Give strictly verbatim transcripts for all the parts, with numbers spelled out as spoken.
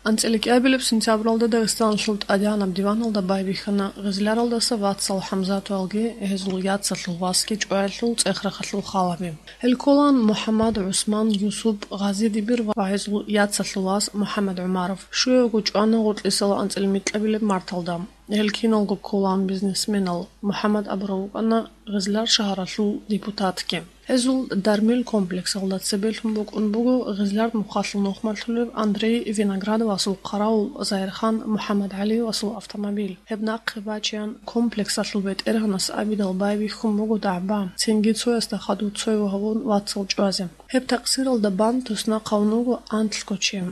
АнцӀила кӀиабилеб сентябралда Дагъистаналъул тӀадегӀанаб диваналда байбихьана Гъизляралдаса вацал ХӀамзаталги гьезул яцалъул васги чӀваялъул цӀех-рахъалъул халаби. Гьел кколаан МухӀаммад, ГӀусман, Юсуп, Гъази-Дибир ва гьезул яцалъул вас МухӀаммад ГӀумаров. Щуявго чӀвана гъоркьисала анцӀила микьабилеб марталда. Гьел киналго кколаан бизнесменал. МухӀаммад абурав вукӀана Гъизляр шагьаралъул депутатги. Гьезул дармил комплексалда цебелъун букӀун буго Гъизляр нухалъул нухмалъулев Андрей Виноградовасул хъаравул Загьирхан МухӀаммадгӀалиевасул автомобиль. Гьеб нахъе бачеян комплексалъул бетӀергьанас абидал байбихьун буго дагӀба, цинги цоясда хадув цо гьавун вацал чӀвазе. Гьеб такъсиралда бан туснахъавун вуго анлъго чи.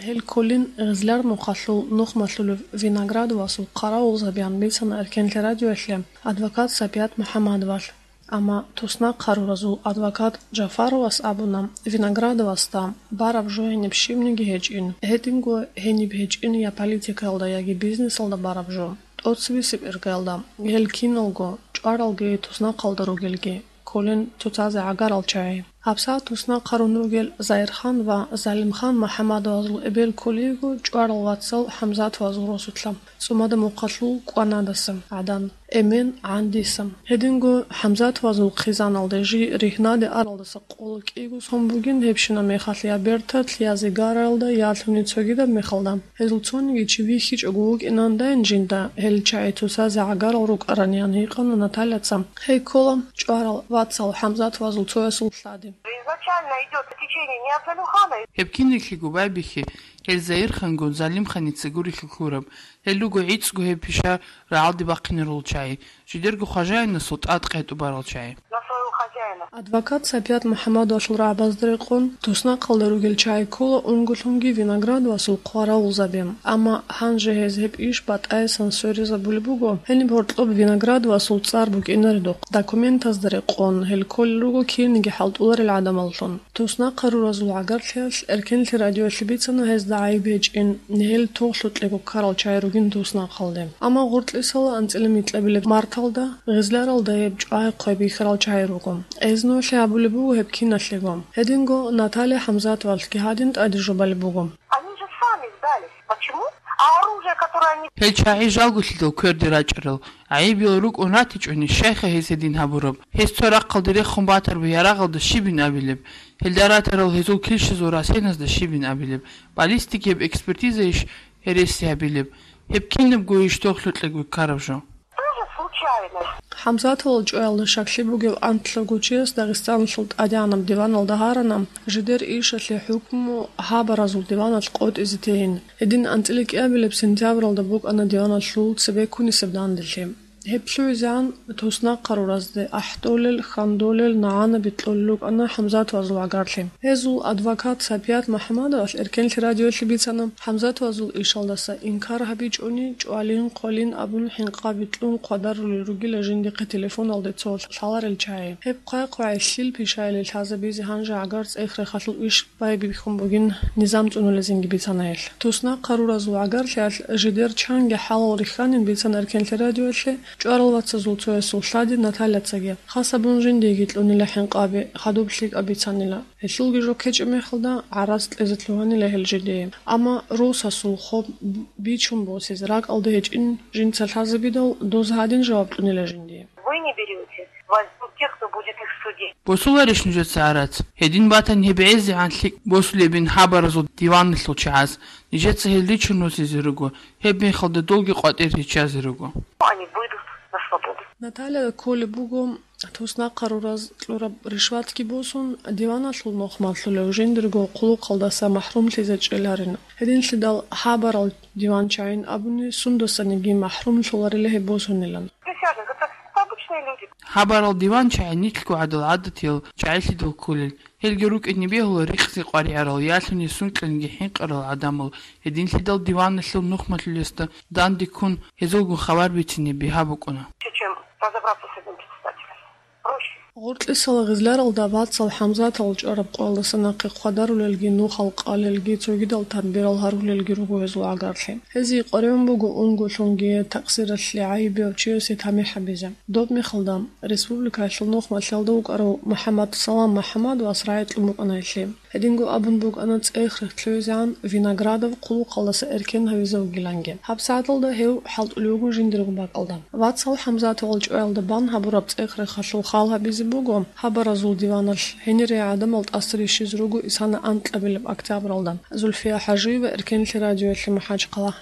Гьел кколин Гъизляр нухалъул нухмалъулев Виноградовасул хъаравулзабиян бицана Эркенлъи радиоялъе адвокат Сапият МухӀаммадовалъ. Амма туснахъ гьаруразул адвокат Джафаровас абуна, Виноградовасда бараб жо гьениб щибниги гьечӀин, гьединго гьениб гьечӀин я политикаялда, яги бизнесалда бараб жо, тӀоцебесеб иргаялда, гьел киналго, чӀваралги туснахъалда ругелги, кколин цоцазе гӀагарал чагӀи. ГьабсагӀат туснахъ гьарун ругел Загьирхан ва Залимхан МухӀаммадовазул эбел кколейго чӀварал вацал ХӀамзатовазул росулъа, ЦӀумада мухъалъул кӀванадаса гӀадан, эмен гӀандиса. Гьединго ХӀамзатовазул хъизаналде жий ригьнаде аралдаса къоло кӀиго сон бугин, гьебщинаб мехалъ я берталъ, я зигаралда, ялъуни цогидаб мехалда. Гьезул цониги чи вихьичӀого вукӀинандайин жинда, гьел чагӀи цоцазе гӀагарал рукӀараниян гьикъана Натальяца. Гьей ккола чӀварал вацал ХӀамзатовазул цоясул лъади. Изначально идёт течение не от Залимхана. Гьеб кинеклъиго байбихьи, гьел Загьирхангун Залимханица гурелъул лъураб. Гьел руго гӀицӀго гьеб пиша рагӀалде бахъинарул чагӀи, жидерго хважаинасул тӀад къетӀубарал чагӀи. На своего хозяина. Адвокат Сапият МухӀаммадовалъул рагӀабазда рекъон, туснахъалда ругел чагӀи ккола унголъунги Виноградовасул хъаравулзаби. Амма гьанже гьез гьеб иш батӀаясан сверизабулеб буго, гьениб гьоркьоб Виноградовасул цӀар букӀинаредухъ. Документазда рекъон, гьел кколел руго кирниги хӀалтӀуларел гӀадамаллъун. Туснахъ гьаруразул гӀагарлъиялъ Эркенлъи радиоялъе бицана гьезда гӀайиб гьечӀин, гьел тохлъукьего ккарал чагӀи ругин туснахъалде. Амма гъоркьисала анцӀила микьабилеб марталда, Гъизляралда гьеб чӀвай-хъвай бихьарал чагӀи руго. Гьез нугӀлъи гьабулеб буго гьеб киналъего. Гьединго Наталья ХӀамзатовалъги гьадин тӀаде жубалеб буго. Они же сами сдались. Почему? А оружие, которое они... Гьел чагӀи жалгулъидал кверде рачӀарал. ГӀайибиял рукӀун ратичӀони, щайха гьез гьедин гьабураб? Гьез цо рахъалде рехун батараб ярагъалда щибин абилеб? Гьелда ратарал гьезул килщазул расеназда щибин абилеб? Баллистикияб экспертизайищ гьереси гьабилеб? Гьеб кинабго иш тохлъукьего ккараб жо? Тоже случайность. ХӀамзатовал чӀваялда щаклъи бугев анлъго чияс Дагъистаналъул тӀадегӀанаб диваналда гьарана, жидер ишалъе хӀукму гьабаразул диваналъ къотӀизе тейин. Гьедин анцӀила кӀиабилеб сентябралда букӀана диваналъул цебеккунисеб данделъи. Гьеб лъугӀизегӀан туснахъ гьаруразде ахӀдолел, хьандолел, нагӀана бикьулел рукӀана ХӀамзатовазул гӀагарлъи. Гьезул адвокат Сапият МухӀаммадовалъ Эркенлъи радиоялъе бицана, ХӀамзатовазул ишалдаса инкар гьабичӀони, чӀвалин-хъвалин абун хӀинкъаби кьун хъвадарулел ругила жиндихъе телефоналде цо лъаларел чагӀи. Гьеб хъвай-хъвай лъил пишаялде лъазабизе гьанже гӀагар цӀех-рехалъул иш байбихьун бугин низам цӀунулезинги бицана гьелъ. Туснахъ гьаруразул гӀагарлъиялъ жидер чанги хӀалал рихьанин бицана Эркенлъи радиоялъе чӀварал вацазул цоясул лъади Натальяцаги. Хас абун жиндиеги кьунила хӀинкъаби, хадуб лъикӀаб бицанила. Гьелъулги жо ккечӀеб мехалда гӀарац кьезе лъугьанила гьел жидее. Амма росасул хоб бичун босизе ракӀалда гьечӀин жинца лъазабидал, доз гьадин жаваб кьунила жиндие. Вы не берёте, возьмут тех, кто будет их судить. Босуларищ нужеца гӀарац? Гьедин батани гьеб гӀезегӀан лъикӀ босулебин хабаразул диваналъул чагӀаз, нижеца гьел ричун росизе руго, гьеб мехалда долги къватӀир риччазе руго. Они выйдут на свободу. Наталья кколеб буго, туснахъ гьарураз кьураб ришватги босун, диваналъул нухмалъулев жиндирго хъулухъалдаса махӀрумлъизе чӀеларин. Гьединлъидал хабарал диван чагӀин абуни, сундасаниги махӀрумлъуларила гьеб босунилан. Присяжных, это обычные люди. Хабарал диван чагӀи нилъго гӀадал гӀадатиял чагӀилъидал кколел. Гьелги рукӀине бегьула рикъзи къваригӀарал, ялъуни сункьаниги хӀинкъарал гӀадамал. Гьединлъидал диваналъул нухмалъулесда данде ккун, гьезулгун хабар бицине бигьа букӀуна. Чем разобраться с этим председателем. Проще. Гъоркьисала гъизларалда Вацал ХӀамзатал чӀвараб къоялдаса нахъе хъвадарулелги, нухал къалелги, цогидал тарбирал гьарулелги руго гьезул гӀагарлъи. Гьезие къваригӀун буго унгулъунги такъсиралъе гӀайибияв чиясе тамихӀ гьабизе. Доб мехалда, республикаялъул нухмалъиялда вукӀарав МухӀаммадсалам МухӀаммад вас рагӀи кьун букӀана гьелъие. Гьединго абун букӀана цӀех-рех лъугӀизегӀан Виноградов хъулухъалдаса эркен гьавизе вугиланги. ГьабсагӀаталда гьев хӀалтӀулев вуго жиндирго бакӀалда. Вацал ХӀамзатовал чӀваялда бан гьабураб цӀех-рехалъул хал гьабизе буго хабаразул диваналъ. Гьенире гӀадамал тӀаса рищизе руго исана анкьабилеб октябралда. Зульфия ХӀажиева, Эркенлъи радиоялъе, МахӀачхъала.